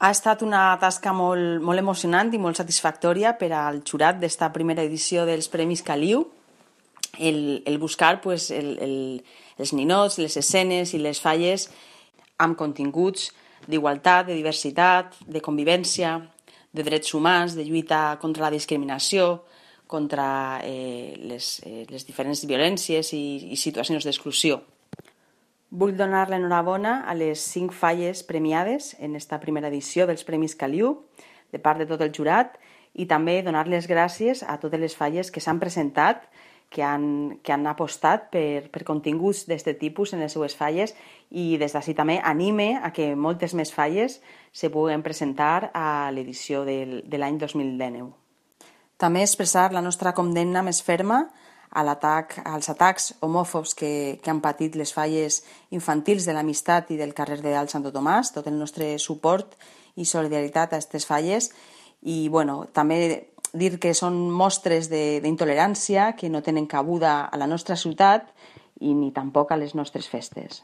Ha estat una tasca molt emocionant i molt satisfactòria per al jurat d'esta primera edició dels Premis Caliu, el buscar els ninots, les escenes i les falles amb continguts d'igualtat, de diversitat, de convivència, de drets humans, de lluita contra la discriminació, contra les diferents violències i situacions d'exclusió. Vull donar l'enhorabona a les 5 falles premiades en esta primera edició dels Premis Caliu, de part de tot el jurat, i també donar les gràcies a totes les falles que s'han presentat, que han apostat per continguts d'aquest tipus en les seues falles, i des d'ací també anime a que moltes més falles se puguen presentar a l'edició de l'any 2019. També expressar la nostra condemna més ferma als atacs homòfobs que han patit les falles infantils de l'Amistat i del carrer de Alt Santo Tomàs, tot el nostre suport i solidaritat a aquestes falles, i també dir que són mostres d'intolerància que no tenen cabuda a la nostra ciutat i ni tampoc a les nostres festes.